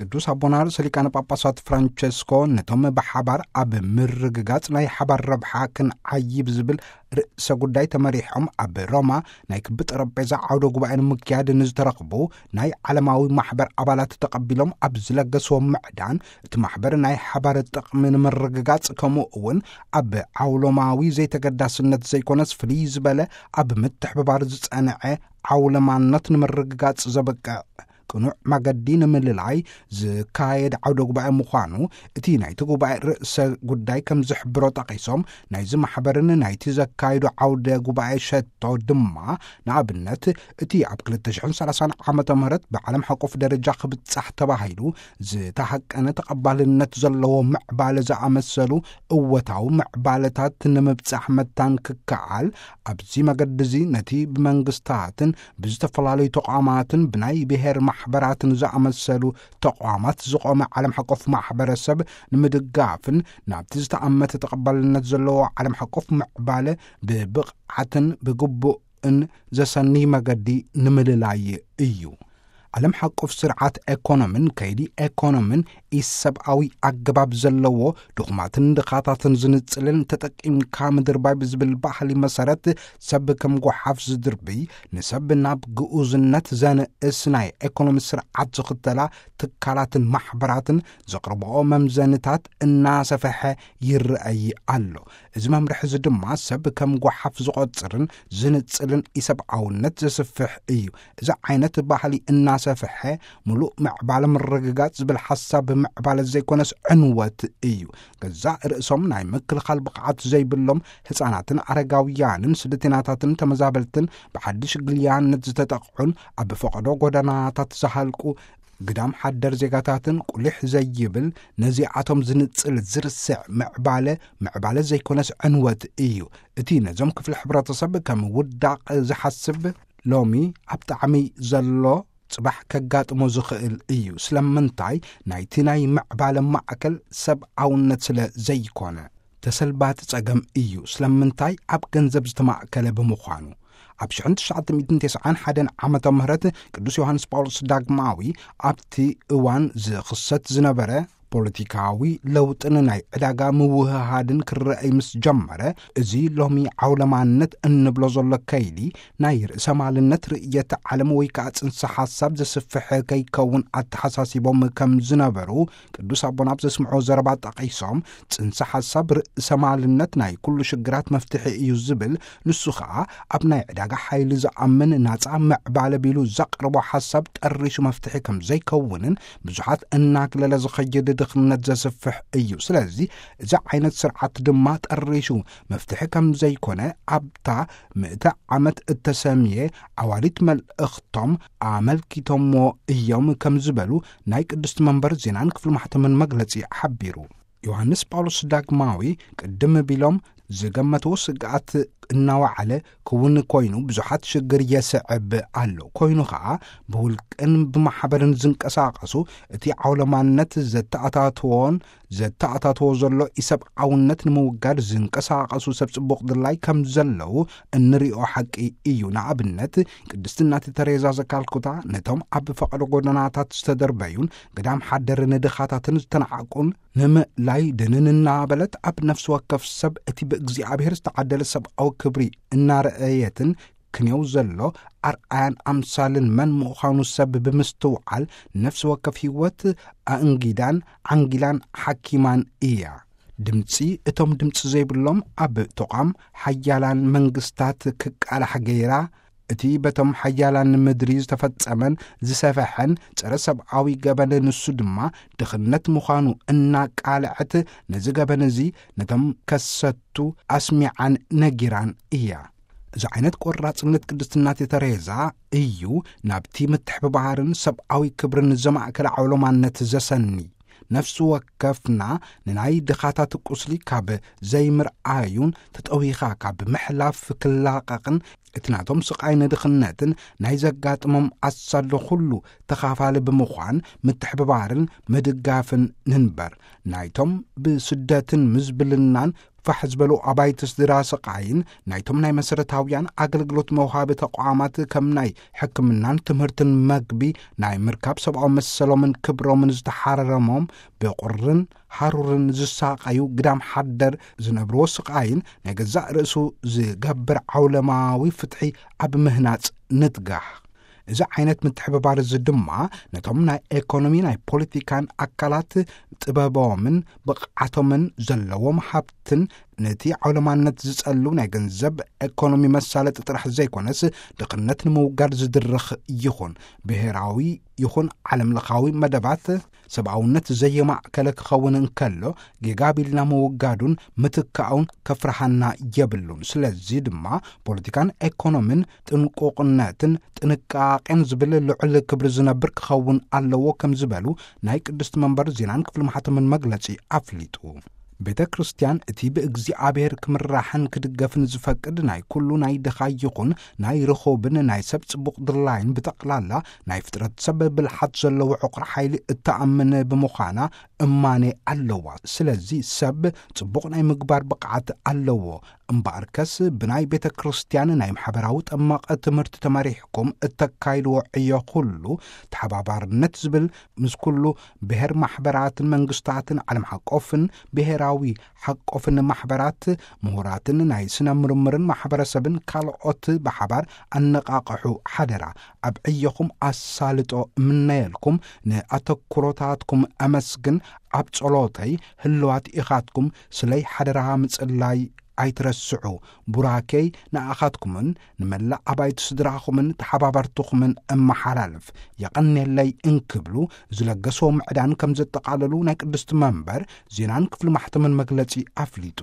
ቅዱስ ኣቦና ርእሰ ሊቃነ ጳጳሳት ፍራንቸስኮ ነቶም ብሓባር ኣብ ምርግጋጽ ናይ ሓባር ረብሓ ክንዓይብ ዝብል ርእሰ ጉዳይ ተመሪሖም ኣብ ሮማ ናይ ክቢ ጠረጴዛ ዓውደ ጉባኤ ንምክያድ ንዝተረኽቡ ናይ ዓለማዊ ማሕበር ኣባላት ተቐቢሎም ኣብ ዝለገስዎ ምዕዳን፣ እቲ ማሕበር ናይ ሓባር ጥቕሚ ንምርግጋጽ፣ ከምኡ እውን ኣብ ዓውሎማዊ ዘይተገዳስነት ዘይኮነስ ፍልይ ዝበለ ኣብ ምትሕብባር ዝጸንዐ ዓውለማነት ንምርግጋጽ ዘበቅዕ ቅኑዕ መገዲ ንምልላይ ዝካየድ ዓውደ ጉባኤ ምዃኑ እቲ ናይቲ ጉባኤ ርእሰ ጉዳይ ከም ዝሕብሮ ጠቒሶም፣ ናይዚ ማሕበርን ናይቲ ዘካየዱ ዓውደ ጉባኤ ሸቶ ድማ፣ ንኣብነት፣ እቲ ኣብ ክልተ ሽሕን ሰላሳን ዓመተ ምህረት ብዓለም ሓቆፍ ደረጃ ክብጻሕ ተባሂሉ ዝተሃቀነ ተቐባልነት ዘለዎ ምዕባለ ዝኣመሰሉ እወታዊ ምዕባለታት ንምብጻሕ መታን ክከኣል፣ ኣብዚ መገዲ እዚ ነቲ ብመንግስታትን ብዝተፈላለዩ ተቋማትን ብናይ ብሔር ማሕበራትን ዝኣመሰሉ ተቋማት ዝቖመ ዓለም ሓቆፍ ማሕበረሰብ ንምድጋፍን ናብቲ ዝተኣመተ ተቐባልነት ዘለዎ ዓለም ሓቆፍ ምዕባለ ብብቕዓትን ብግቡእን ዘሰንይ መገዲ ንምልላይ እዩ። ዓለም ሓቆፍ ስርዓት ኤኮኖምን ከይዲ ኤኮኖምን ኢሰብኣዊ ኣገባብ ዘለዎ፣ ድኹማትን ድኻታትን ዝንጽልን ተጠቂምካ ምድርባይ ብዝብል ባህሊ መሰረት፣ ሰብ ከም ጓሓፍ ዝድርብይ፣ ንሰብ ናብ ግኡዝነት ዘንእስ ናይ ኤኮኖሚ ስርዓት ዝኽተላ ትካላትን ማሕበራትን ዘቕርብኦ መምዘንታት እናሰፈሐ ይረኣይ ኣሎ። እዚ መምርሒ እዚ ድማ ሰብ ከም ጓሓፍ ዝቖጽርን ዝንጽልን ኢሰብኣውነት ዘስፍሕ እዩ። እዚ ዓይነት ባህሊ እናሰፍሐ፣ ምሉእ ምዕባለ ምርግጋጽ ዝብል ሓሳብ ምዕባለ ዘይኮነስ ዕንወት እዩ። ገዛእ ርእሶም ናይ ምክልኻል ብቕዓት ዘይብሎም ህጻናትን ኣረጋውያንን ስደተኛታትን ተመዛበልትን ብሓድሽ ግልያነት ዝተጠቕዑን ኣብ ፈቐዶ ጎደናታት ዝሃልቁ ግዳም ሓደር ዜጋታትን ቁሊሕ ዘይብል፣ ነዚኣቶም ዝንጽል ዝርስዕ ምዕባለ፣ ምዕባለ ዘይኮነስ ዕንወት እዩ። እቲ ነዞም ክፍሊ ሕብረተሰብ ከም ውዳቕ ዝሓስብ ሎሚ ኣብ ጣዕሚ ዘሎ ጽባሕ ከጋጥሞ ዝኽእል እዩ። ስለምንታይ? ናይቲ ናይ ምዕባለ ማእከል ሰብኣውነት ስለ ዘይኮነ። ተሰልባቲ ጸገም እዩ። ስለምንታይ? ኣብ ገንዘብ ዝተማእከለ ብምዃኑ። ኣብ ሽሕን ትሽዓተ ሚእትን ተስዓን ሓደን ዓመተ ምህረት ቅዱስ ዮሃንስ ጳውሎስ ዳግማዊ ኣብቲ እዋን ዝኽሰት ዝነበረ ፖለቲካዊ ለውጥን ናይ ዕዳጋ ምውህሃድን ክረኣይ ምስ ጀመረ፣ እዚ ሎሚ ዓውለማነት እንብሎ ዘሎ ከይዲ ናይ ርእሰ ማልነት ርእየተ ዓለም ወይ ከኣ ጽንሰ ሓሳብ ዘስፍሕ ከይከውን ኣተሓሳሲቦም ከም ዝነበሩ ቅዱስ ኣቦና ኣብ ዘስምዖ ዘረባ ጠቒሶም፣ ጽንሰ ሓሳብ ርእሰ ማልነት ናይ ኩሉ ሽግራት መፍትሒ እዩ ዝብል፣ ንሱ ኸኣ ኣብ ናይ ዕዳጋ ሓይሊ ዝኣምን ናጻ ምዕባለ ቢሉ ዘቕርቦ ሓሳብ ጠሪሹ መፍትሒ ከም ዘይከውንን ብዙሓት እናግለለ ዝኸይድ ድኽነት ዘስፍሕ እዩ። ስለዚ እዚ ዓይነት ስርዓት ድማ ጠሪሹ መፍትሒ ከም ዘይኮነ ኣብታ ምእተ ዓመት እተሰምየ ዓዋሊት መልእኽቶም ኣመልኪቶሞ እዮም ከም ዝበሉ ናይ ቅድስቲ መንበር ዜናን ክፍሊ ማሕተምን መግለጺ ሓቢሩ። ዮሃንስ ጳውሎስ ዳግማዊ ቅድም ቢሎም ዝገመትዎ ስግኣት እናወዓለ ክውን ኮይኑ ብዙሓት ሽግር የስዕብ ኣሎ። ኮይኑ ኸኣ ብውልቅን ብማሕበርን ዝንቀሳቐሱ እቲ ዓውለማነት ዘተኣታትዎን ዘተኣታትዎ ዘሎ ኢሰብኣውነት ንምውጋድ ዝንቀሳቐሱ ሰብ ጽቡቕ ድላይ ከም ዘለዉ እንሪኦ ሓቂ እዩ። ንኣብነት ቅድስቲ እናቴ ተሬዛ ዘካልኩታ ነቶም ኣብ ፈቐዶ ጎደናታት ዝተደርበዩን ግዳም ሓደር ንድኻታትን ዝተናዓቁን ንምእላይ ድንን እናበለት ኣብ ነፍሲ ወከፍ ሰብ እቲ ብእግዚኣብሔር ዝተዓደለ ሰብኣዊ ክብሪ እናረኣየትን ክንየው ዘሎ ኣርኣያን ኣምሳልን መን ምዃኑ ሰብ ብምስትውዓል ነፍሲ ወከፍ ህይወት ኣእንጊዳን ዓንጊላን ሓኪማን እያ። ድምጺ እቶም ድምጺ ዘይብሎም ኣብ ተቋም ሓያላን መንግስታት ክቃላሕ ገይራ፣ እቲ በቶም ሓያላን ምድሪ ዝተፈጸመን ዝሰፈሐን ጸረ ሰብኣዊ ገበን ንሱ ድማ ድኽነት ምዃኑ እናቃልዐት፣ ነዚ ገበን እዚ ነቶም ከሰቱ ኣስሚዓን ነጊራን እያ። እዚ ዓይነት ቆራጽነት ቅድስቲ እናቴ ተሬዛ እዩ ናብቲ ምትሕብባርን ሰብኣዊ ክብርን ዘማእከለ ዓውሎማነት ዘሰኒ። ነፍሲ ወከፍና ንናይ ድኻታት ቁስሊ ካብ ዘይምርኣዩን ተጠዊኻ ካብ ምሕላፍ ክላቐቕን እቲ ናቶም ስቓይ ንድኽነትን ናይ ዘጋጥሞም ኣሳዶ ኩሉ ተኻፋሊ ብምዃን ምትሕብባርን ምድጋፍን ንንበር። ናይቶም ብስደትን ምዝብልናን ፋሕ ዝበሉ ኣባይቲ ስድራ ስቓይን ናይቶም ናይ መሰረታውያን ኣገልግሎት መውሃቢ ተቋማት ከም ናይ ሕክምናን ትምህርትን መግቢ ናይ ምርካብ ሰብኣዊ መሰሎምን ክብሮምን ዝተሓረረሞም ብቑርን ሃሩርን ዝሳቐዩ ግዳም ሓደር ዝነብርዎ ስቓይን ናይ ገዛእ ርእሱ ዝገብር ዓውለማዊ ፍትሒ ኣብ ምህናጽ ንትጋህ። እዚ ዓይነት ምትሕብባር እዚ ድማ ነቶም ናይ ኤኮኖሚ ናይ ፖለቲካን ኣካላት ጥበቦምን ብቕዓቶምን ዘለዎም ሃብትን ነቲ ዓውለማነት ዝጸሉ ናይ ገንዘብ ኤኮኖሚ መሳለጢ ጥራሕ ዘይኮነስ ድኽነት ንምውጋድ ዝድርኽ ይኹን ብሔራዊ ይኹን ዓለም ለኻዊ መደባት ሰብኣውነት ዘየማእከለ ክኸውን እንከሎ ጌጋ ቢልና ምውጋዱን ምትካኡን ከፍርሃና የብሉን። ስለዚ ድማ ፖለቲካን ኤኮኖምን ጥንቁቕነትን ጥንቃቄን ዝብል ልዑል ክብሪ ዝነብር ክኸውን ኣለዎ ከም ዝበሉ ናይ ቅድስቲ መንበር ዜናን ክፍሊ ማሕተምን መግለጺ ኣፍሊጡ። ቤተ ክርስቲያን እቲ ብእግዚኣብሔር ክምራሕን ክድገፍን ዝፈቅድ ናይ ኩሉ ናይ ድኻ ይኹን ናይ ርኹብን ናይ ሰብ ጽቡቕ ድላይን ብጠቕላላ ናይ ፍጥረት ሰብ ብልሓት ዘለዎ ዕቑር ሓይሊ እተኣምን ብምዃና እማኔ ኣለዋ። ስለዚ ሰብ ጽቡቕ ናይ ምግባር ብቕዓት ኣለዎ። እምበኣርከስ ብናይ ቤተ ክርስቲያን ናይ ማሕበራዊ ጠመቐ ትምህርቲ ተመሪሕኩም እተካይድዎ ዕዮ ኩሉ ተሓባባርነት ዝብል ምስ ኩሉ ብሔር ማሕበራትን መንግስታትን ዓለም ሓቆፍን ብሔራዊ ሓቆፍን ማሕበራት ምሁራትን ናይ ስነ ምርምርን ማሕበረሰብን ካልኦት ብሓባር ኣነቓቕሑ ሓደራ። ኣብ ዕዮኹም ኣሳልጦ እምነየልኩም ንኣተኩሮታትኩም ኣመስግን። ኣብ ጸሎተይ ህልዋት ኢኻትኩም ስለይ ሓደራ ምጽላይ ኣይትረስዑ። ቡራኬይ ንኣኻትኩምን ንመላእ ኣባይቲ ስድራኹምን ተሓባበርትኹምን እመሓላልፍ። የቐንየለይ እንክብሉ ዝለገስዎ ምዕዳን ከም ዘጠቓለሉ ናይ ቅድስቲ መንበር ዜናን ክፍሊ ማሕተምን መግለጺ ኣፍሊጡ።